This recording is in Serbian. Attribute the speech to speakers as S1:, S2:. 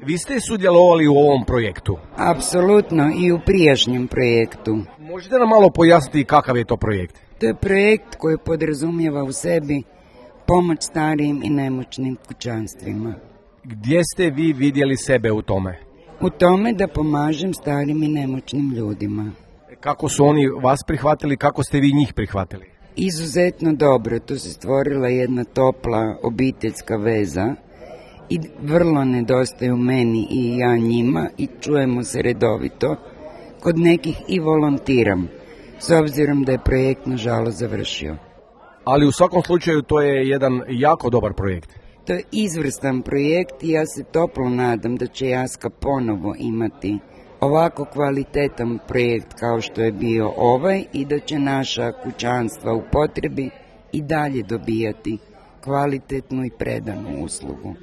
S1: Vi ste sudjelovali u ovom projektu?
S2: Apsolutno, i u prijašnjem projektu.
S1: Možete nam malo pojasniti kakav je to projekt?
S2: To je projekt koji podrazumijeva u sebi pomoć starijim i nemoćnim kućanstvima.
S1: Gdje ste vi vidjeli sebe u tome?
S2: U tome da pomažem starim i nemoćnim ljudima.
S1: Kako su oni vas prihvatili, kako ste vi njih prihvatili?
S2: Izuzetno dobro, tu se stvorila jedna topla obiteljska veza i vrlo nedostaju meni i ja njima i čujemo se redovito. Kod nekih i volontiram, s obzirom da je projekt nažalost završio.
S1: Ali u svakom slučaju to je jedan jako dobar projekt.
S2: To je izvrstan projekt i ja se toplo nadam da će Jaska ponovo imati ovako kvalitetan projekt kao što je bio ovaj i da će naša kućanstva u potrebi i dalje dobijati kvalitetnu i predanu uslugu.